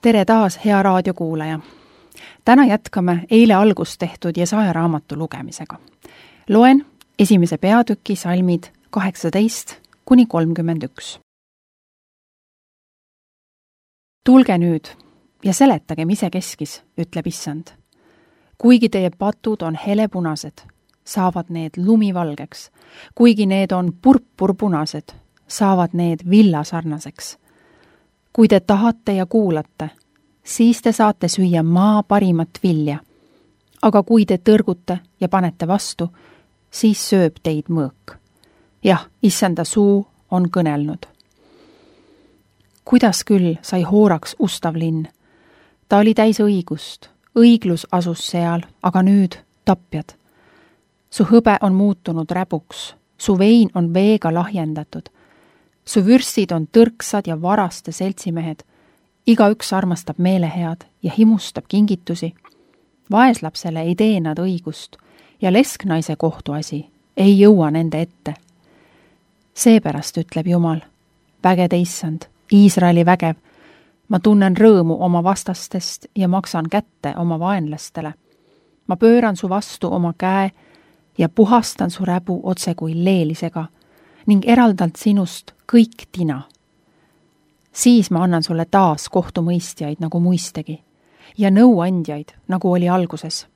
Tere taas, hea raadiokuulaja! Täna jätkame eile algust tehtud Jesaja raamatu lugemisega. Loen esimese peatüki salmid 18 kuni 31. Tulge nüüd ja seletagem isekeskis, ütleb Issand. Kuigi teie patud on helepunased, saavad need lumivalgeks. Kuigi need on purpurpunased, saavad need villasarnaseks. Kui te tahate ja kuulate, siis te saate süüa maa parimat vilja. Aga kui te tõrgute ja panete vastu, siis sööb teid mõõk. Jah, Issanda suu on kõnelnud. Kuidas küll sai hooraks ustav linn? Ta oli täis õigust, õiglus asus seal, aga nüüd tapjad. Su hõbe on muutunud räbuks, su vein on veega lahjendatud. Su vürstid on tõrksad ja varaste seltsimehed. Igaüks armastab meelehead ja himustab kingitusi. Vaeslapsele ei tee nad õigust ja lesknaise kohtuasi ei jõua nende ette. Seepärast ütleb Jumal, vägede Issand, Iisraeli vägev, ma tunnen rõõmu oma vastastest ja maksan kätte oma vaenlastele. Ma pööran su vastu oma käe ja puhastan su räbu otse kui leelisega ning eraldalt sinust kõik tina. Siis ma annan sulle taas kohtumõistjaid nagu muistegi ja nõuandjaid nagu oli alguses.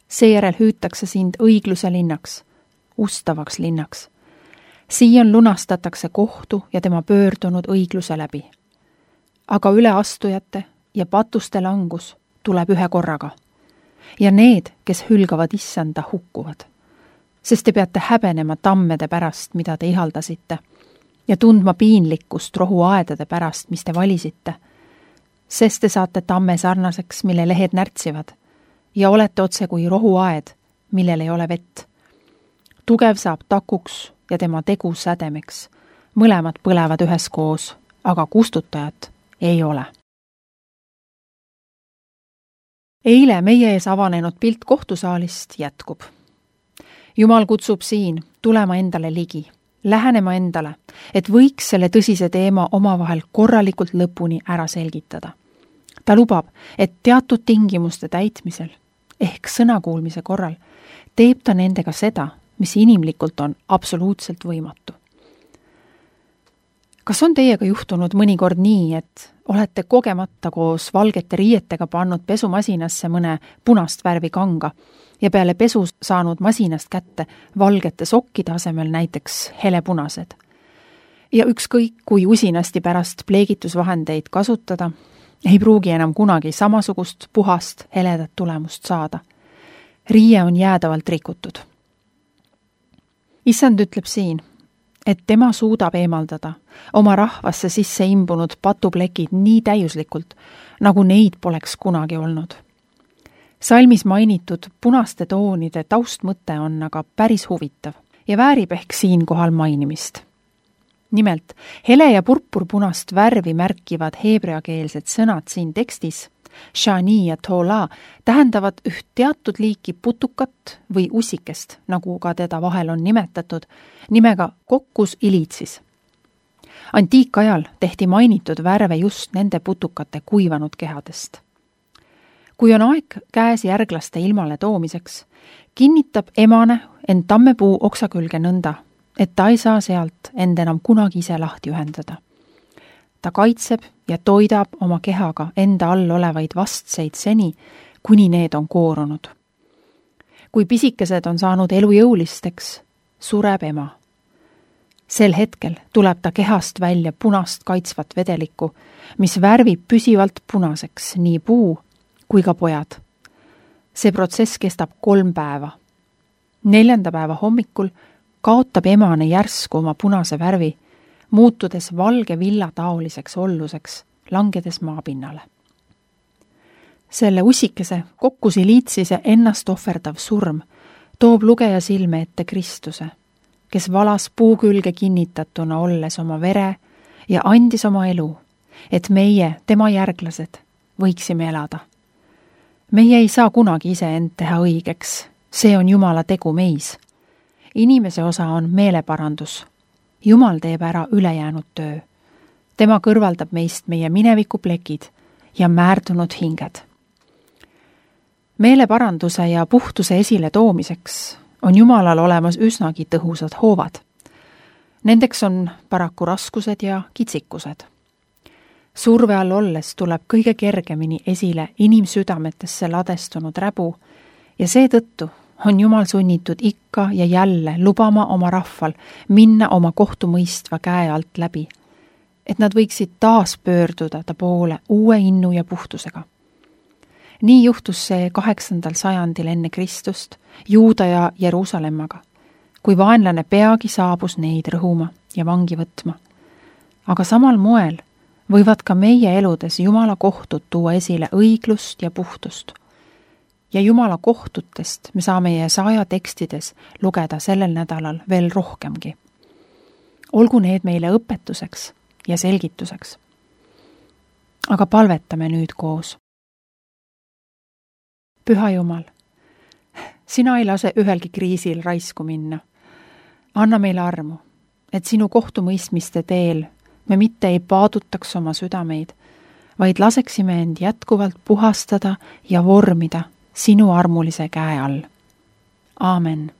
Seejärel hüütakse sind õigluse linnaks, ustavaks linnaks. Siian lunastatakse kohtu ja tema pöördunud õigluse läbi. Aga üleastujate ja patuste langus tuleb ühe korraga. Ja need, kes hülgavad Issanda, hukkuvad. Sest te peate häbenema tammede pärast, mida te ihaldasite, ja tundma piinlikkust rohuaedade pärast, mis te valisite. Sest te saate tamme sarnaseks, mille lehed närtsivad, ja olete otse kui rohuaed, millel ei ole vett. Tugev saab takuks ja tema tegu sädemeks. Mõlemad põlevad üheskoos, aga kustutajat ei ole. Eile meie ees avanenud pilt kohtusaalist jätkub. Jumal kutsub siin tulema endale ligi, lähenema endale, et võiks selle tõsise teema omavahel korralikult lõpuni ära selgitada. Ta lubab, et teatud tingimuste täitmisel, ehk sõnakuulmise korral, teeb ta nendega seda, mis inimlikult on absoluutselt võimatu. Kas on teiega juhtunud mõnikord nii, et olete kogemata koos valgete riietega pannud pesumasinasse mõne punast värvi kanga ja peale pesu saanud masinast kätte valgete sokkide asemel näiteks helepunased? Ja ükskõik, kui usinasti pärast pleegitusvahendeid kasutada, ei pruugi enam kunagi samasugust puhast heledat tulemust saada. Riie on jäädavalt rikutud. Issand ütleb siin, et tema suudab eemaldada oma rahvasse sisse imbunud patuplekid nii täiuslikult, nagu neid poleks kunagi olnud. Salmis mainitud punaste toonide taustmõte on aga päris huvitav ja väärib ehk siinkohal mainimist. Nimelt, hele ja purpurpunast värvi märkivad heebreakeelsed sõnad siin tekstis, shani ja tola, tähendavad üht teatud liiki putukat või usikest, nagu ka teda vahel on nimetatud, nimega kokkus ilitsis. Antiikajal tehti mainitud värve just nende putukate kuivanud kehadest. Kui on aeg käes järglaste ilmale toomiseks, kinnitab emane end tammepuu oksa külge nõnda, et ta ei saa sealt end enam kunagi ise lahti ühendada. Ta kaitseb ja toidab oma kehaga enda all olevaid vastseid seni, kuni need on koorunud. Kui pisikesed on saanud elujõulisteks, sureb ema. Sel hetkel tuleb ta kehast välja punast kaitsvat vedelikku, mis värvib püsivalt punaseks nii puu kui ka pojad. See protsess kestab 3 päeva. 4. päeva hommikul kaotab emane järsku oma punase värvi, muutudes valge villataoliseks olluseks, langedes maapinnale. Selle usikese kokkusiliitsise ennast ohverdav surm toob lugeja silme ette Kristuse, kes valas puu külge kinnitatuna olles oma vere ja andis oma elu, et meie, tema järglased, võiksime elada. Meie ei saa kunagi ise end teha õigeks, see on Jumala tegu meis. Inimese osa on meeleparandus. Jumal teeb ära ülejäänud töö. tema kõrvaldab meist meie minevikuplekid ja määrdunud hinged. Meeleparanduse ja puhtuse esile toomiseks on Jumalal olemas üsnagi tõhusad hoovad. Nendeks on paraku raskused ja kitsikused. Surve all olles tuleb kõige kergemini esile inimsüdametesse ladestunud räbu ja seetõttu on Jumal sunnitud ikka ja jälle lubama oma rahval minna oma kohtumõistva käe alt läbi, et nad võiksid taas pöörduda ta poole uue innu ja puhtusega. Nii juhtus see 8. sajandil enne Kristust Juuda ja Jeruusalemmaga, kui vaenlane peagi saabus neid rõhuma ja vangi võtma. Aga samal moel võivad ka meie eludes Jumala kohtud tuua esile õiglust ja puhtust. Ja Jumala kohtutest me saame Jesaja tekstides lugeda sellel nädalal veel rohkemgi. Olgu need meile õpetuseks ja selgituseks. Aga palvetame nüüd koos. Püha Jumal, sina ei lase ühelgi kriisil raisku minna. Anna meile armu, et sinu kohtumõistmiste teel me mitte ei paadutaks oma südameid, vaid laseksime end jätkuvalt puhastada ja vormida sinu armulise käe all. Aamen.